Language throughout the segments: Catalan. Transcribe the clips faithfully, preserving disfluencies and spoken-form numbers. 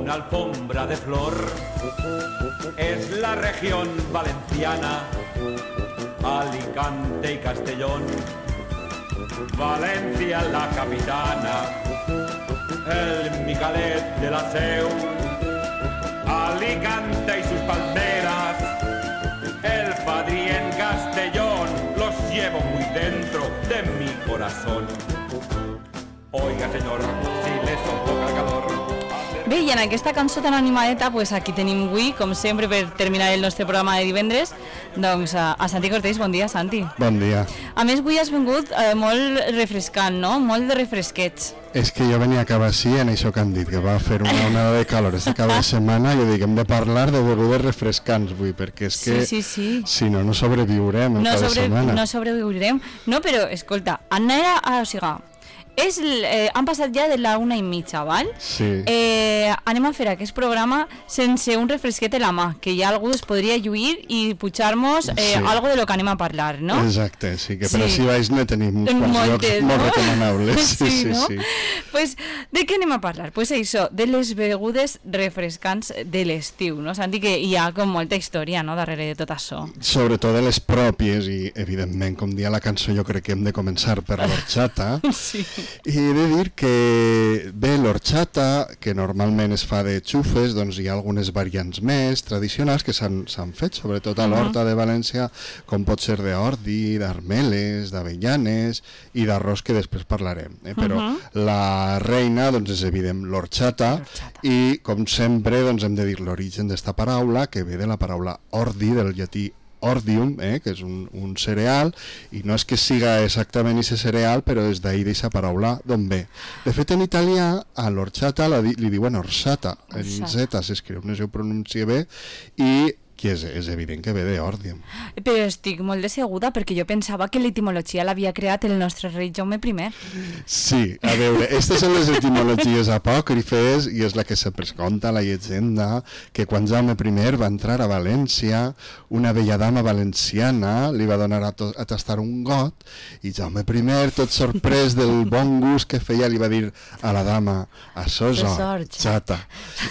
Alfombra de flor es la región valenciana, Alicante y Castellón, Valencia la capitana, el Micalet de la Seu, Alicante y sus palmeras, el Padrí en Castellón, los llevo muy dentro de mi corazón. Oiga señor, si le sofoca el calor. Bé, i en aquesta cançó tan animadeta, pues aquí tenim avui, com sempre, per terminar el nostre programa de divendres, doncs a, a Santi Cortés. Bon dia, Santi. Bon dia. A més, avui has vingut eh, molt refrescant, no? Molt de refresquets. És que jo venia a acabar així en això que han dit, que va fer una onada de calor esta cada setmana, i jo dic, hem de parlar de begudes refrescants avui, perquè és que sí, sí, sí. si no, no sobreviurem no cada sobre, setmana. No sobreviurem. No, però, escolta, Anna, o sigui, és, eh, han passat ja de la una i mitja, val? Sí. Eh, anem a fer aquest programa sense un refresquet a la mà, que ja algú es podria lluir i pujar-nos eh, sí. algo de lo que anem a parlar, no? Exacte, sí, que sí. per així baix ne tenim uns quants llocs no? molt recomanables. Sí, sí, no? sí. Pues, de què anem a parlar? Pues això, de les begudes refrescants de l'estiu, no? Santi, que hi ha com molta història, no?, darrere de tot això. Sobretot de les pròpies, i evidentment, com dia la cançó, jo crec que hem de començar per l'horchata. Sí. I he de dir que bé, l'horchata, que normalment es fa de xufes, doncs hi ha algunes variants més tradicionals que s'han fet, sobretot a l'Horta de València, com pot ser d'ordi, d'armeles, d'avellanes i d'arròs, que després parlarem. Eh? Però uh-huh. la reina, doncs, és evident l'horchata, i com sempre doncs, hem de dir l'origen d'esta paraula, que ve de la paraula ordi, del llatí ordium, eh, que és un, un cereal, i no és que siga exactament aquest cereal, però és d'ahir d'aquesta paraula d'on ve. De fet, en italià, a l'orchata li, li diuen orsata, en Z s'escriu, no sé si ho pronuncia bé, i que és, és evident que ve d'Ordium. Però estic molt decebuda perquè jo pensava que l'etimologia l'havia creat el nostre rei Jaume primer. Sí, a veure, aquestes són les etimologies apòcrifes i és la que sempre es conta la llegenda, que quan Jaume primer va entrar a València, una bella dama valenciana li va donar a, to a tastar un got i Jaume primer, tot sorprès del bon gust que feia, li va dir a la dama, això és horchata.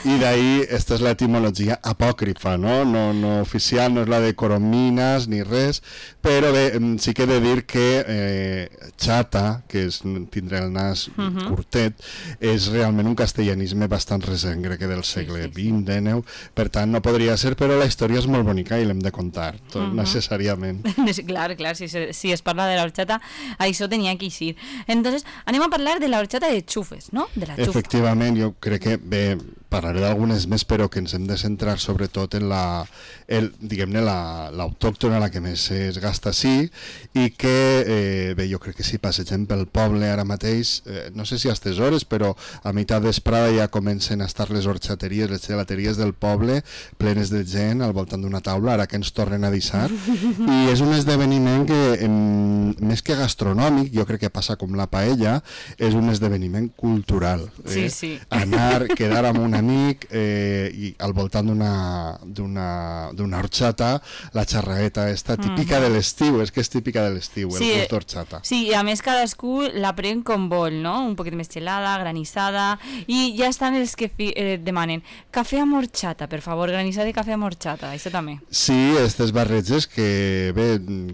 I d'ahir, aquesta és l'etimologia apòcrifa, no? No no oficial, no és la de Coromines ni res, però bé, sí que he de dir que eh, xata, que és tindre el nas uh-huh. curtet, és realment un castellanisme bastant recent, crec que del segle sí, sí, vint, dinou, per tant no podria ser, però la història és molt bonica i l'hem de contar, tot uh-huh. necessàriament. Clar, clar, si, si es parla de la horchata, això tenia que eixir. Entonces, anem a parlar de la horchata de xufes, no? De la xufa. Efectivament, jo crec que, bé, parlaré d'algunes més, però que ens hem de centrar sobretot en la, el, diguem-ne, l'autòctona, la, la que més es gasta així, i que, eh, bé, jo crec que si passegem pel poble ara mateix, eh, no sé si a aquestes hores, però a meitat d'esprada ja comencen a estar les horxateries, les gelateries del poble, plenes de gent al voltant d'una taula, ara que ens tornen a deixar, i és un esdeveniment que, en, més que gastronòmic, jo crec que passa com la paella, és un esdeveniment cultural. Eh? Sí, sí. Anar, quedar amb un amic eh, i al voltant d'una d'una horchata, la xarraeta esta típica mm. de l'estiu, és que és típica de l'estiu, sí, el gust d'horchata. Sí, i a més cadascú la pren com vol, no? Un poquet més gelada, granissada, i ja estan els que fi, eh, demanen cafè amb horchata, per favor, granissada i cafè amb horchata, això també. Sí, aquestes barreges que, bé,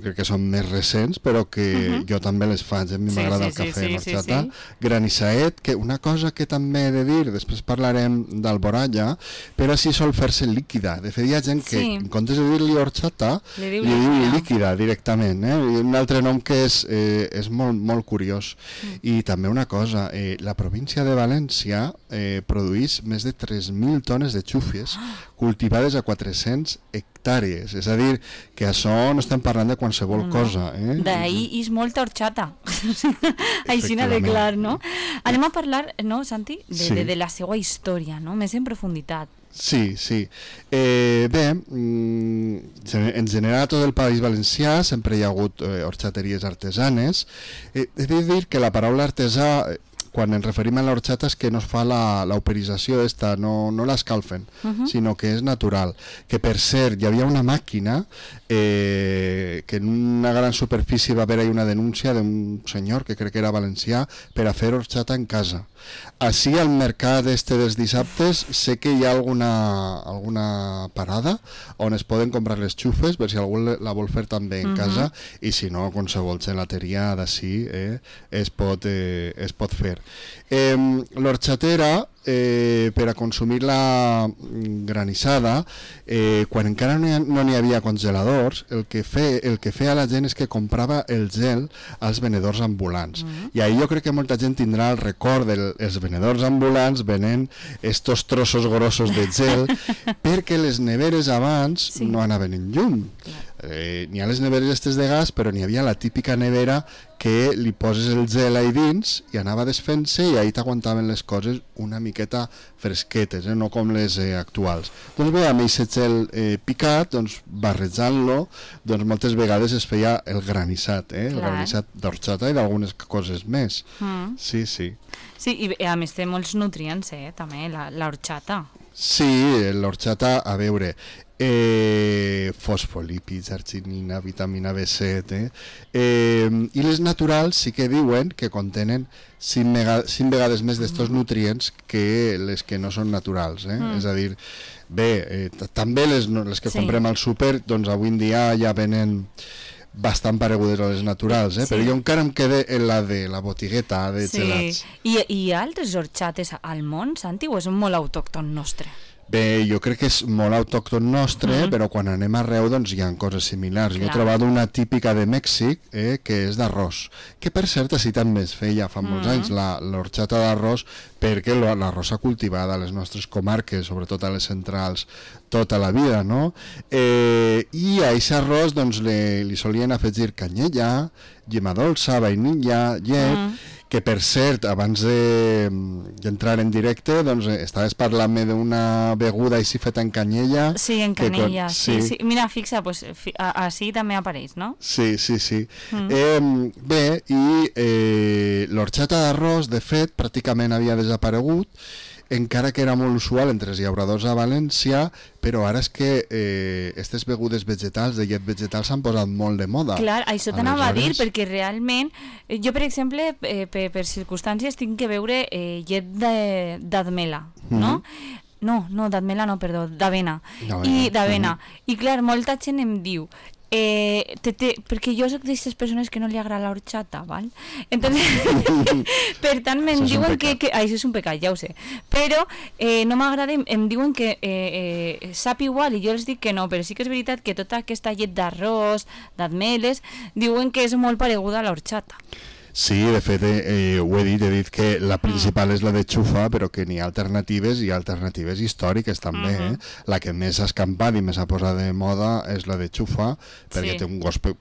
crec que són més recents, però que uh-huh. jo també les faig, a mi sí, m'agrada sí, el cafè sí, amb horchata. Sí, sí. Granissaet, que una cosa que també he de dir, després parlarem d'alboralla, però sí sol fer-se líquida. De fet, hi ha gent que, sí. en comptes de dir-li horchata, li diu, li diu líquida directament. Eh? I un altre nom que és, eh, és molt, molt curiós. Mm. I també una cosa, eh, la província de València eh, produeix més de tres mil tones de xúfies cultivades a quatre-cents hectàrees. És a dir, que això no estem parlant de qualsevol no. cosa. Eh? D'ahir és molta horchata. Així n'ha de clar, no? Anem a parlar, no, Santi, de, sí. de, de la seva història, no? Més en profunditat. Sí, sí. Eh, bé, en general a tot el País Valencià sempre hi ha hagut eh, horxateries artesanes. Eh, he de dir que la paraula artesà, quan ens referim a l'horxata, és que no es fa l'operització d'esta, no, no l'escalfen, uh-huh. sinó que és natural. Que per cert, hi havia una màquina eh, que en una gran superfície va haver-hi una denúncia d'un senyor, que crec que era valencià, per a fer horxata en casa. Així al mercat este dels dissabtes sé que hi ha alguna, alguna parada on es poden comprar les xufes per si algú la vol fer també en uh-huh. casa, i si no, qualsevol gelateria d'ací eh, es, pot, eh, es pot fer. Eh, l'horxatera, eh, per a consumir-la granissada, eh, quan encara no n'hi no havia congeladors, el que, fe, el que feia la gent és que comprava el gel als venedors ambulants. Mm. I ahir jo crec que molta gent tindrà el record dels venedors ambulants venent estos trossos grossos de gel perquè les neveres abans sí. no anaven en llum. Eh, n'hi ha les neveres estes de gas, però n'hi havia la típica nevera que li poses el gel ahí dins i anava desfent-se i ahí t'aguantaven les coses una miqueta fresquetes, eh? no com les eh, actuals. Doncs bé, amb aquest gel eh, picat, doncs, barrejant-lo, doncs moltes vegades es feia el granissat, eh? el granissat d'horxata i d'algunes coses més. Mm. Sí, sí. Sí, i a més té molts nutrients, eh, també, l'horxata. Sí, l'horxata, a veure, eh, fosfolípids, arginina, vitamina B set, eh? Eh, i les naturals sí que diuen que contenen cinc, mega, cinc vegades més d'estos nutrients que les que no són naturals, eh? Mm. És a dir, bé, eh, també les, les que sí. comprem al súper, doncs avui en dia ja venen bastant paregudes a les naturals, eh? Sí. Però jo encara em quedé en la de la botigueta de sí. gelats. I hi ha altres horxates al món, Santi, o és molt autòcton nostre? Bé, jo crec que és molt autòcton nostre, mm-hmm. però quan anem arreu doncs hi ha coses similars. Clar. Jo he trobat una típica de Mèxic, eh, que és d'arròs, que per cert així també es feia fa molts mm-hmm. anys, l'horxata d'arròs, perquè l'arròs s'ha cultivat a les nostres comarques, sobretot a les centrals, tota la vida, no? Eh, I a aquest arròs doncs, li, li solien afegir canyella, llima dolça, vainilla, llet, mm. que per cert, abans d'entrar de, en directe, doncs estaves parlant-me d'una beguda així feta en canyella. Sí, en canyella, que, sí. sí, sí. Mira, fixa, pues, fi, així també apareix, no? Sí, sí, sí. Mm. Eh, bé, i eh, l'horxata d'arròs, de fet, pràcticament havia desaparegut, encara que era molt usual entre els llauradors a València, però ara és que eh, aquestes begudes vegetals, de llet vegetal, s'han posat molt de moda. Clar, això t'anava a dir, perquè realment, jo, per exemple, eh, per, per circumstàncies, tinc que beure eh, llet d'admela, no? Mm-hmm. No, no, d'admela no, perdó, d'avena. I d'avena. Mm-hmm. I clar, molta gent em diu, Eh, te, te, perquè jo soc d'aquestes persones que no li agrada l'horxata, val? Entonces, per tant, me'n diuen que, que... Ah, això és un pecat, ja ho sé. Però eh, no m'agrada, em diuen que eh, eh, sap igual, i jo els dic que no, però sí que és veritat que tota aquesta llet d'arròs, d'admeles, diuen que és molt pareguda a l'horxata. Sí, de fet, eh, ho he dit, he dit que la principal és la de xufa, però que n'hi ha alternatives i alternatives històriques també. Uh-huh. eh? La que més ha escampat i més ha posat de moda és la de xufa, perquè sí. té un gust pe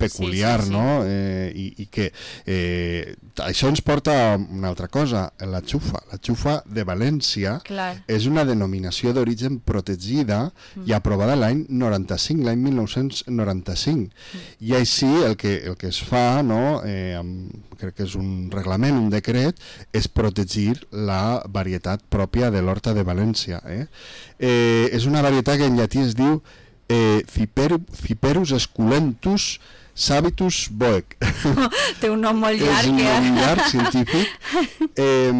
peculiar, sí, sí, sí. no? Eh, i, i que eh, això ens porta a una altra cosa, la xufa. La xufa de València Clar. és una denominació d'origen protegida mm. i aprovada l'any noranta-cinc, l'any mil nou-cents noranta-cinc. Mm. I així el que, el que es fa, no, eh, amb, crec que és un reglament, un decret, és protegir la varietat pròpia de l'horta de València. Eh? Eh, és una varietat que en llatí es diu eh, Ciper, Ciperus esculentus Sabitus Boec. Té un nom molt llarg. És un nom llarg, científic. Eh,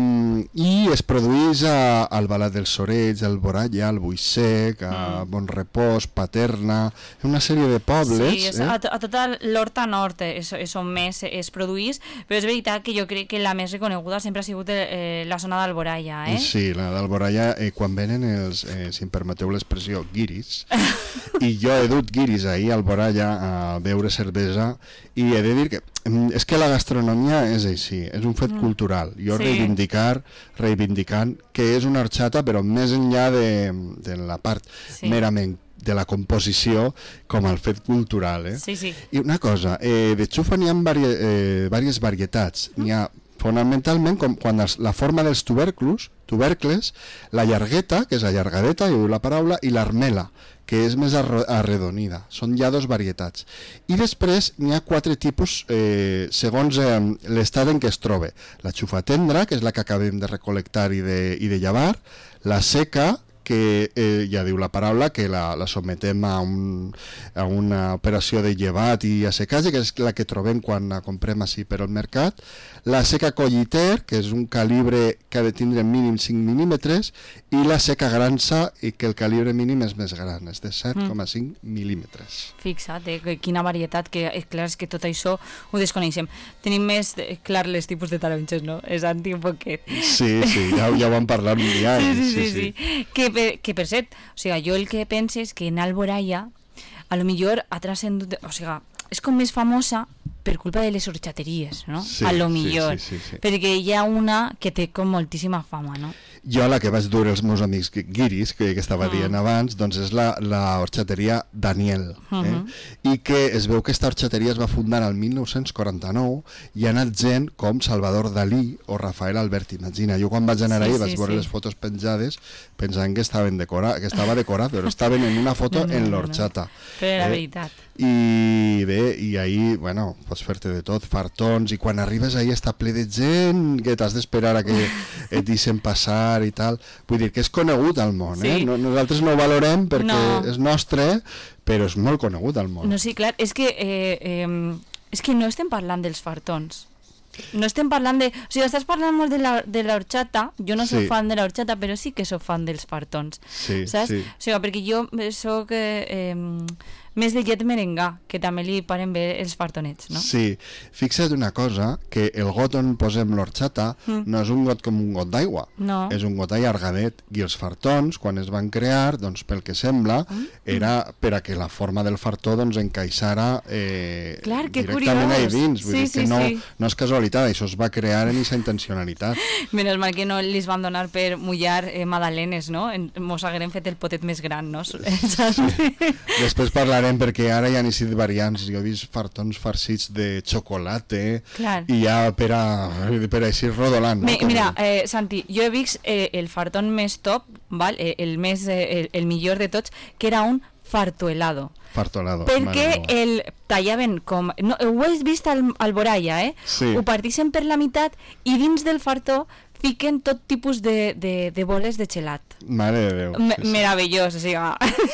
I es produeix a, al Balat dels Sorells, al Boralla, al Buixec, a mm. Bonrepòs, Paterna, una sèrie de pobles. Sí, és, eh? a, a tota l'horta nord és, és on més es produeix, però és veritat que jo crec que la més reconeguda sempre ha sigut eh, la zona d'Alboralla. Eh? Sí, la d'Alboralla, eh, quan venen els, eh, si em permeteu l'expressió, guiris, i jo he dut guiris ahir al Alboralla a beure cervesa, i he de dir que és que la gastronomia és així, és un fet mm. cultural. Jo sí. reivindicar, reivindicant que és una horxata, però més enllà de, de la part sí. merament de la composició com el fet cultural. Eh? Sí, sí. I una cosa, eh, de xufa n'hi ha diverses eh, varietats. N'hi ha fonamentalment, com quan els, la forma dels tuberclos, tubercles, la llargueta, que és la llargadeta, i la paraula, i l'armela, que és més arredonida. Són ja dos varietats. I després n'hi ha quatre tipus eh, segons eh, l'estat en què es troba. La xufa tendra, que és la que acabem de recol·lectar i de, i de llevar, la seca, que eh, ja diu la paraula, que la, la sometem a, un, a una operació de llevat i assecatge, que és la que trobem quan la comprem així per al mercat, la seca colliter, que és un calibre que ha de tindre mínim cinc mil·límetres, i la seca gransa, i que el calibre mínim és més gran, és de set coma cinc mm. mil·límetres. Fixa't, eh, quina varietat, que eh, clar, és que tot això ho desconeixem. Tenim més eh, clar les tipus de taronges, no? És anti un poquet. Sí, sí, ja, ja ho vam parlar un dia. Sí, sí, sí, sí. sí. Que, per, que per cert, o sigui, jo el que penso és que en Alboraya a lo millor ha transcendut, o sigui, és com més famosa per culpa de les horxateries, no? Sí, a lo millor, sí, sí, sí, sí. perquè hi ha una que té com moltíssima fama, no? Jo la que vaig dur els meus amics guiris, que, que estava mm. dient abans, doncs és la, la horxateria Daniel, eh? Mm -hmm. i que es veu que aquesta horxateria es va fundar el mil nou-cents quaranta-nou i ha anat gent com Salvador Dalí o Rafael Albert. Imagina, jo quan vaig anar sí, ahí sí, vaig veure sí. les fotos penjades pensant que, estaven decora, que estava decorat, però estaven en una foto no, no, en l'horxata. No. Però era eh? veritat. I bé, i ahí, bueno, pots fer-te de tot, fartons, i quan arribes ahí està ple de gent que t'has d'esperar a que et deixen passar i tal. Vull dir que és conegut al món, eh? Sí. No, nosaltres no ho valorem perquè no. és nostre, però és molt conegut al món. No, sí, clar, és que, eh, eh, és que no estem parlant dels fartons. No estem parlant de... O sigui, estàs parlant molt de la, de la horxata. Jo no soc sí. fan de la horxata, però sí que soc fan dels fartons. Sí, saps? sí. O sigui, perquè jo soc... Eh, eh, més de llet merengà, que també li paren bé els fartonets, no? Sí, fixa't una cosa, que el got on posem l'horxata mm. no és un got com un got d'aigua, no. és un got allargadet, i els fartons, quan es van crear, doncs pel que sembla, mm. era per a que la forma del fartó doncs encaixara eh, Clar, que directament curiós. ahí dins, vull sí, dir sí, que no, sí. no és casualitat, això es va crear en aquesta intencionalitat. Menys mal que no li van donar per mullar eh, magdalenes, no? Mos hagueren fet el potet més gran, no? Sí. Després parlarem perquè ara hi ha iniciat variants, jo he vist fartons farcits de xocolata i ja per a, per a així rodolant. Mi, no? Mira, eh, Santi, jo he vist eh, el fartón més top, val? Eh, el, més, eh, el, el millor de tots, que era un fartohelado. Fartolado. Perquè el tallaven com... No, ho he vist al, al Boraya, eh? Sí. Ho partixen per la meitat i dins del fartó fiquen tot tipus de, de, de boles de gelat. Mare de Déu. Me, sí, sí. Meravellós, o sigui...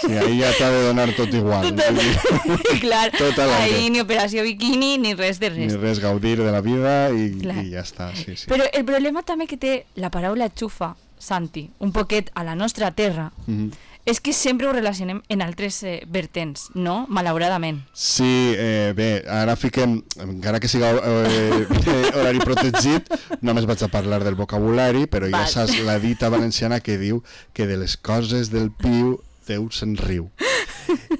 Sí, ahí ja t'ha de donar tot igual. Tot, tot, clar, tot ahí ni operació biquini ni res de res. Ni res, gaudir de la vida i, i ja està. Sí, sí. Però el problema també que té la paraula xufa, Santi, un poquet a la nostra terra, mm-hmm. és que sempre ho relacionem en altres eh, vertents, no? Malauradament. Sí, eh, bé, ara fiquem, encara que siga eh, horari protegit, només vaig a parlar del vocabulari, però ja saps la dita valenciana que diu que de les coses del piu Déu se'n riu.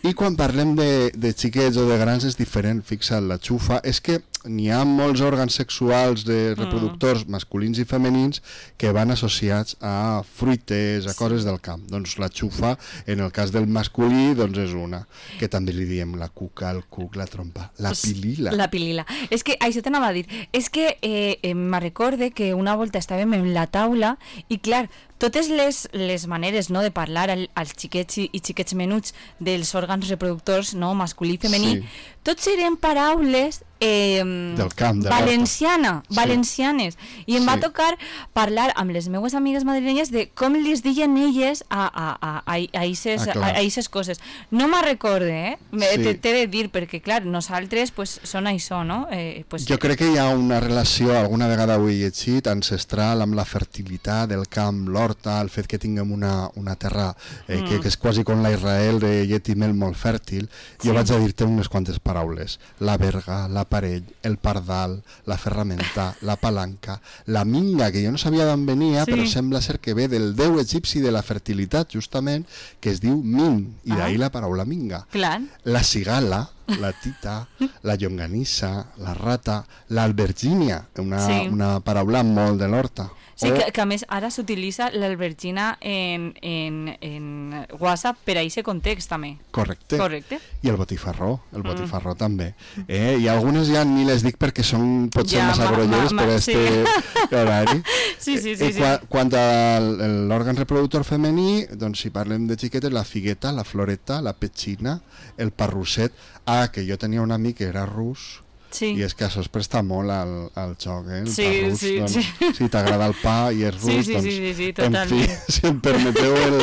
I quan parlem de, de xiquets o de grans és diferent, fixa't, la xufa és que n'hi ha molts òrgans sexuals de reproductors mm. masculins i femenins que van associats a fruites, a sí. coses del camp. Doncs la xufa, en el cas del masculí, doncs és una, que també li diem la cuca, el cuc, la trompa, la pilila. La pilila. És que això t'anava a dir, és que eh, eh, me recorde que una volta estàvem en la taula i clar, totes les, les maneres, no, de parlar al, als xiquets i, i xiquets menuts dels òrgans reproductors, no, masculí i femení, sí. tots eren paraules eh, del camp, de valenciana, sí. valencianes. I em sí. va tocar parlar amb les meues amigues madrilenyes de com les diuen elles a, a, a, a, a, ixes, ah, a, a ixes coses. No me'n recorde, eh? Sí. T'he de dir, perquè, clar, nosaltres pues, són això, no? Eh, pues, jo crec que hi ha una relació, alguna vegada ho he llegit, ancestral amb la fertilitat del camp, l'horta, el fet que tinguem una, una terra eh, mm. que, que és quasi com la Israel de llet i mel molt fèrtil. Sí. Jo vaig a dir-te unes quantes paraules. La verga, la parell, el pardal, la ferramenta, la palanca, la minga, que jo no sabia d'on venia, sí. però sembla ser que ve del déu egipci de la fertilitat, justament, que es diu Min, i ah. d'ahir la paraula minga. Clar. La cigala, la tita, la llonganissa, la rata, l'albergínia, una, Sí. una paraula molt de l'horta. Sí, O- que, que a més ara s'utilitza l'albergina en, en, en WhatsApp per a aquest context també. Correcte. Correcte. I el botifarró, el botifarró mm. també. Eh? I algunes ja ni les dic perquè són potser Ja, massa ma- grolleres ma- per ma- este horari. Sí, sí, sí. Eh, sí. qua, quant a l'òrgan reproductor femení, doncs si parlem de xiquetes, la figueta, la floreta, la petxina, el parrusset. Ah, que jo tenia un amic que era rus, Sí. i és que això es presta molt al, al joc, eh? El Sí, parrús, sí, doncs, sí. si t'agrada el pa i és rus, Sí, sí, doncs... sí, sí, sí, en fi, totalment. si em permeteu el,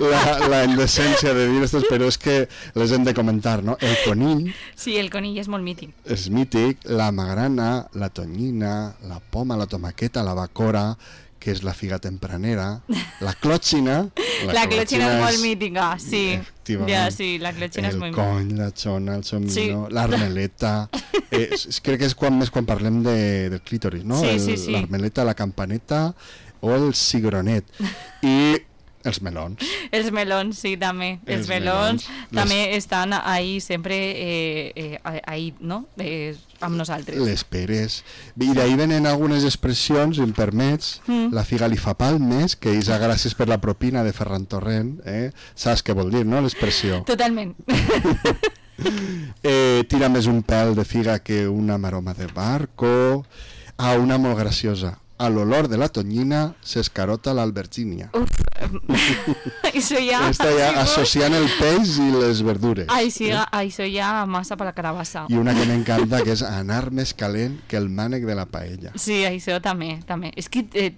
la, la indecència de dir estos, però és que les hem de comentar, no? El conill Sí, el conill és molt mític. és mític, la magrana, la tonyina, la poma, la tomaqueta, la bacora, que és la figa tempranera, la clòtxina... La clòtxina és molt mítica, sí. Efectivament. Ja, sí, la clòtxina és El molt mítica. cony, la xona, el somino, Sí. l'armeleta... Eh, és- crec que és quan més quan parlem de, del clítoris, no? Sí, El- sí, sí. L'armeleta, la campaneta o el cigronet. I els melons. Els melons, sí, també. Els, Els melons, melons. també estan ahí sempre, eh, eh, ahí, no? Eh, amb nosaltres. Les peres. I d'ahir venen algunes expressions, si em permets, Mm. la figa li fa palmes, que és a gràcies per la propina de Ferran Torrent, eh? Saps què vol dir, no?, l'expressió. Totalment. Eh, tira més un pèl de figa que una maroma de barco. Ah, una molt graciosa. A l'olor de la tonyina s'escarota l'albergínia. Uf, això ja... Està ja sí, associant el peix i les verdures. Ai, sí, això ja massa per la carabassa. I una que m'encanta, que és anar més calent que el mànec de la paella. Sí, això també, també. És que eh,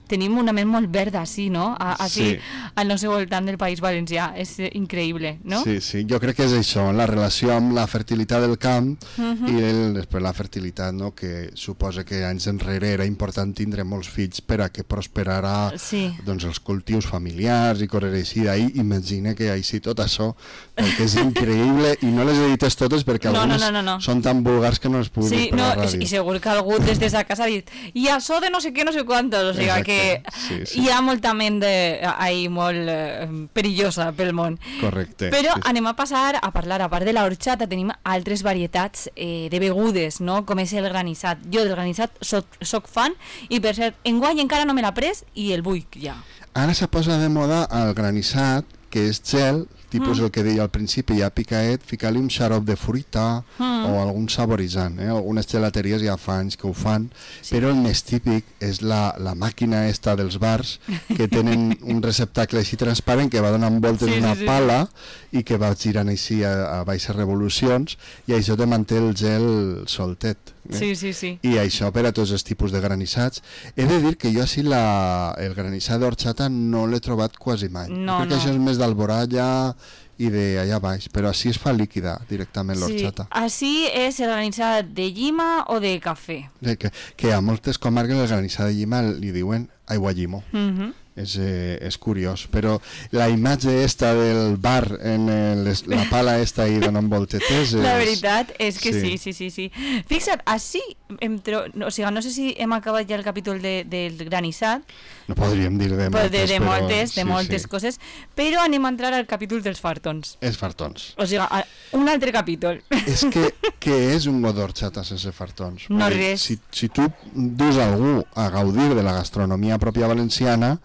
tenim una ment molt verda, sí, no? A, així, Sí. al nostre voltant del País Valencià. És eh, increïble, no? Sí, sí, jo crec que és això, la relació amb la fertilitat del camp Mhm. i el, després la fertilitat, no?, que suposa que anys enrere era important tindre molts fills per a que prosperara Sí. doncs, els cultius familiars i coses així. D'ahir imagina que així tot això, perquè és increïble, i no les edites totes perquè No, no, algunes no, no, no. són tan vulgars que no les puc Sí, dir per no, la i, ràdio. i segur que algú des de sa casa ha dit i això de no sé què, no sé quantos, o sigui Exacte, que sí, sí. hi ha molta ment de, ahí molt eh, perillosa pel món. Correcte. Però sí, sí. anem a passar a parlar, a part de la horchata, tenim altres varietats eh, de begudes, no? Com és el granissat. Jo del granissat soc, soc fan, i per cert, enguany encara no me l'ha pres i el vull ja. Ara se posa de moda el granissat, que és gel, tipus Mm. el que deia al principi, ja picaet, ficar-li un xarop de fruita Mm. o algun saboritzant. Eh? Algunes gelateries ja fa anys que ho fan, Sí. però el més típic és la, la màquina esta dels bars, que tenen un receptacle així transparent que va donant voltes Sí, una sí, sí. pala i que va girant així a, a baixes revolucions, i això te manté el gel soltet. Eh? Sí, sí, sí. I això per a tots els tipus de granissats. He de dir que jo així la, el granissat d'orxata no l'he trobat quasi mai. No, Crec que no. això és més d'Alboralla i d'allà baix, però així es fa líquida directament Sí, l'orxata. així és el granissat de llima o de cafè. Eh, Que, que a moltes comarques el granissat de llima li diuen aigua llimo. Mhm. És, eh, és curiós, però la imatge esta del bar en el, les- la pala esta i donant voltetes és... La veritat és que sí. sí, sí, sí, sí. Fixa't, així, em tro... no, o sigui, no sé si hem acabat ja el capítol de, del granissat, No podríem dir de però moltes, de, de però moltes, de sí, moltes sí. coses, però anem a entrar al capítol dels fartons. És fartons. O sigui, a- un altre capítol. És que què és un got d'orxata sense fartons? No Vull dir, res. Si, si tu dus algú a gaudir de la gastronomia pròpia valenciana,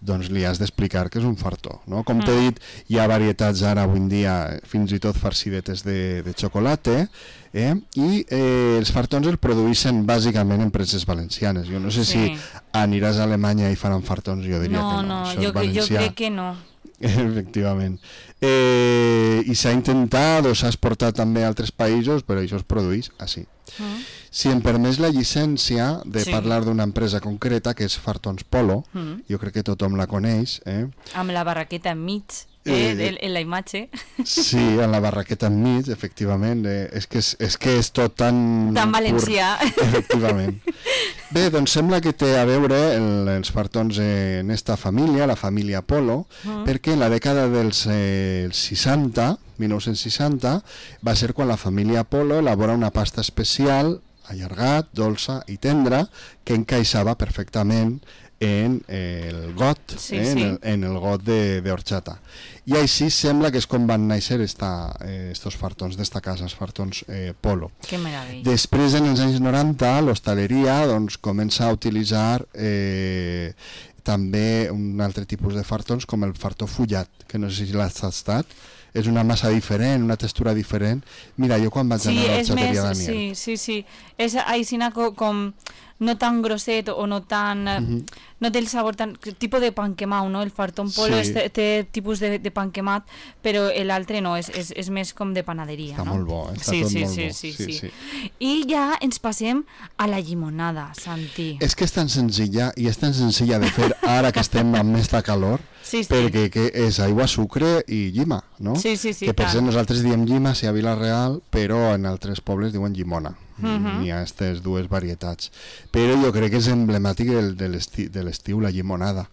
doncs li has d'explicar que és un fartó, no? Com t'he Mm. dit, hi ha varietats ara avui en dia, fins i tot farcidetes de, de xocolata, eh? I eh, els fartons els produeixen bàsicament empreses valencianes. Jo no sé Sí. si aniràs a Alemanya i faran fartons, jo diria No, que no. no, Això jo, és cre- jo valencià. crec que no. Efectivament. Eh, I s'ha intentat o s'ha exportat també a altres països, però això es produeix així. Mm. Si em permès la llicència de Sí. parlar d'una empresa concreta, que és Fartons Polo, Mm. jo crec que tothom la coneix, eh? Amb la barraqueta enmig, Eh, eh, de, en la imatge. Sí, en la barraqueta enmig, efectivament, eh? és, que és, és que és tot tan... Tan pur. valencià. Efectivament. Bé, doncs sembla que té a veure el, els fartons en esta família, la família Polo, Mm. perquè en la dècada dels eh, seixanta, mil nou-cents seixanta, va ser quan la família Polo elabora una pasta especial, allargat, dolça i tendra, que encaixava perfectament en el got, sí, eh, sí. En, el, en el got d'horchata. I així sembla que és com van néixer esta, eh, estos fartons d'esta casa, els fartons eh, Polo. Que meravella. Després, en els anys noranta, l'hostaleria doncs, comença a utilitzar eh, també un altre tipus de fartons com el fartó fullat, que no sé si l'has tastat. És una massa diferent, una textura diferent. Mira, jo quan vaig sí, anar a l'Horxateria més, Daniel... Sí, sí, sí. És aixina com, com no tan grosset o no tan... Uh -huh. No té el sabor tan... Tipus de pan quemat, no? El fartón Polo sí. té, té tipus de, de pan quemat, però l'altre no, és, és, és més com de panaderia. Està no? molt bo, està sí, tot sí, molt sí, bo. Sí, sí, sí. sí. I ja ens passem a la llimonada, Santi. És que és tan senzilla, i és tan senzilla de fer ara que estem amb esta calor, sí, sí. perquè que és aigua, sucre i llima, no? Sí, sí, sí. Que per tant. cert nosaltres diem llima si a Vila-real, però en altres pobles diuen llimona. Uh-huh. Hi ha aquestes dues varietats. Però jo crec que és emblemàtic el, de l'estiu, la llimonada.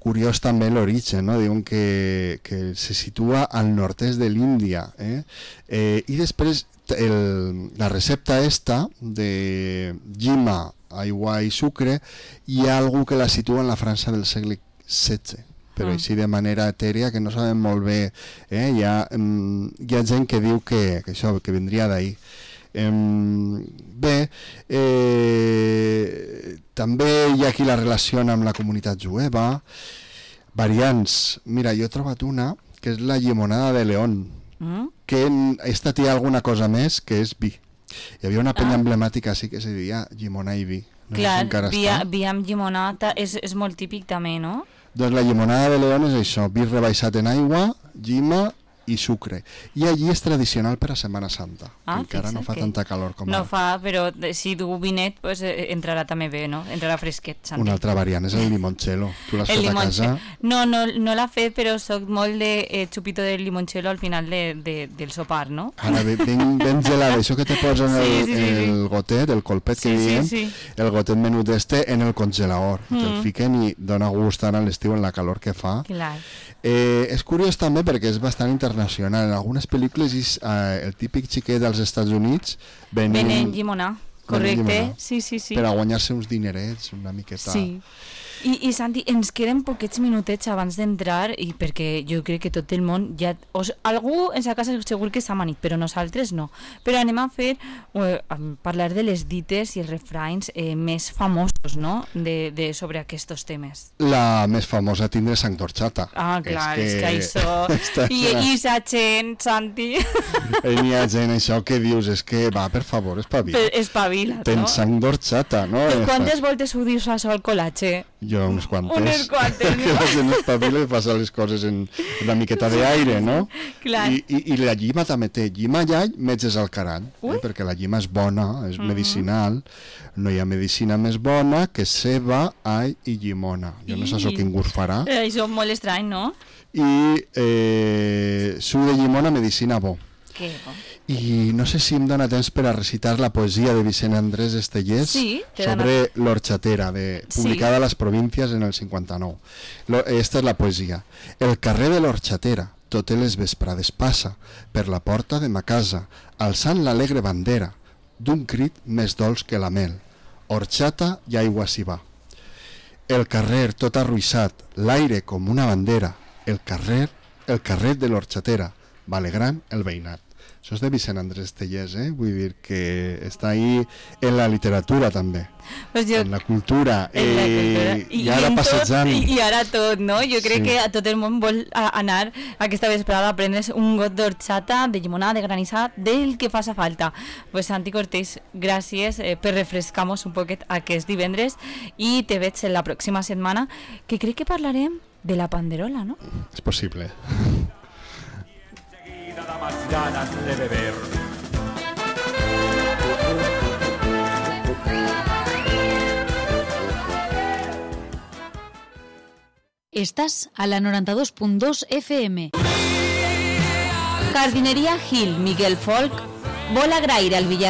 Curiós també l'origen, no? Diuen que, que se situa al nord-est de l'Índia. Eh? Eh, I després el, la recepta esta de llima, aigua i sucre, hi ha algú que la situa en la França del segle setze, però ah. així de manera etèria, que no sabem molt bé. Eh? Hi, ha, um, hi ha gent que diu que, que això que vindria d'ahir. Um, bé, eh, també hi ha qui la relaciona amb la comunitat jueva. Variants, mira, jo he trobat una que és la llimonada de León, mm? que esta té alguna cosa més, que és vi. Hi havia una penya ah. emblemàtica així que se deia llimona i vi. No clar, si vi, vi amb llimonada és, és molt típic també, no? Doncs la llimonada de León és això, vi rebaixat en aigua, llima i sucre. I allí és tradicional per a Setmana Santa. Ah, encara no fa que tanta calor com no ara. No fa, però si du vinet pues, eh, entrarà també bé, no? Entrarà fresquet. Santi. Una altra variant és el limoncello. Tu l'has fet a casa? No, no, no l'ha fet, però soc molt de eh, xupito de limoncello al final de, de, del sopar, no? Ara, ben, ben gelat, això que te posen sí, el, sí, sí, el gotet, el colpet sí, que diem, sí, sí. el gotet menut este en el congelador. Mm. Te'l fiquen i dona gust ara a l'estiu en la calor que fa. Clar. Eh, és curiós també perquè és bastant internacional. En algunes pel·lícules és, eh, el típic xiquet dels Estats Units venent, venent llimonar, correcte, llimonar, sí, sí, sí. per a guanyar-se uns dinerets, una miqueta. Sí. I, i Santi, ens queden poquets minutets abans d'entrar, i perquè jo crec que tot el món ja... O, algú en sa casa segur que s'ha manit, però nosaltres no. Però anem a fer, eh, a parlar de les dites i els refranys eh, més famosos, no?, de, de, sobre aquests temes. La més famosa tindre sang d'orxata. Ah, clar, és que, és que això... I, I sa gent, Santi... Hi ha gent, això que dius, és que va, per favor, espavila. Espavila't, no? Tens sang d'orxata, no? Quantes voltes ho dius això al col·latge? Jo unes quantes. Unes quantes, no? Que la gent espavila i passa les coses en una miqueta d'aire, no? Clar. I, i, I la llima també té llima i all, metges al carall, eh? Perquè la llima és bona, és uh-huh. medicinal. No hi ha medicina més bona que ceba, all i llimona. Jo no sé això quin gust farà. Eh, això és molt estrany, no? I eh, suc de llimona, medicina bo. Que bo. I no sé si em dona temps per a recitar la poesia de Vicent Andrés Estellés sí, sobre l'Horxatera, de, publicada sí. a les Províncies en el cinquanta-nou. Lo, esta és la poesia. El carrer de l'Horxatera, totes les vesprades passa, per la porta de ma casa, alçant l'alegre bandera, d'un crit més dolç que la mel. Horxata i aigua s'hi va. El carrer tot arruïssat, l'aire com una bandera, el carrer, el carrer de l'Horxatera, va alegrant el veïnat. Això és de Vicent Andrés Estellés, eh? Vull dir que està ahí en la literatura també, pues jo, en la cultura, en la cultura. Eh, I, i ara passejant i, i ara tot, no? Jo crec sí. que a tot el món vol anar aquesta vesprada a prendre's un got d'horxata, de llimonada, de granissat, del que faça falta. Pues Santi Cortés, gràcies eh, per refrescar-nos un poquet aquest divendres i te veig la pròxima setmana, que crec que parlarem de la panderola, no? És possible. Da más ganas de beber. Estás a la noventa y dos punto dos F M. Jardinería Gil Miguel Folk vol agrair al Villar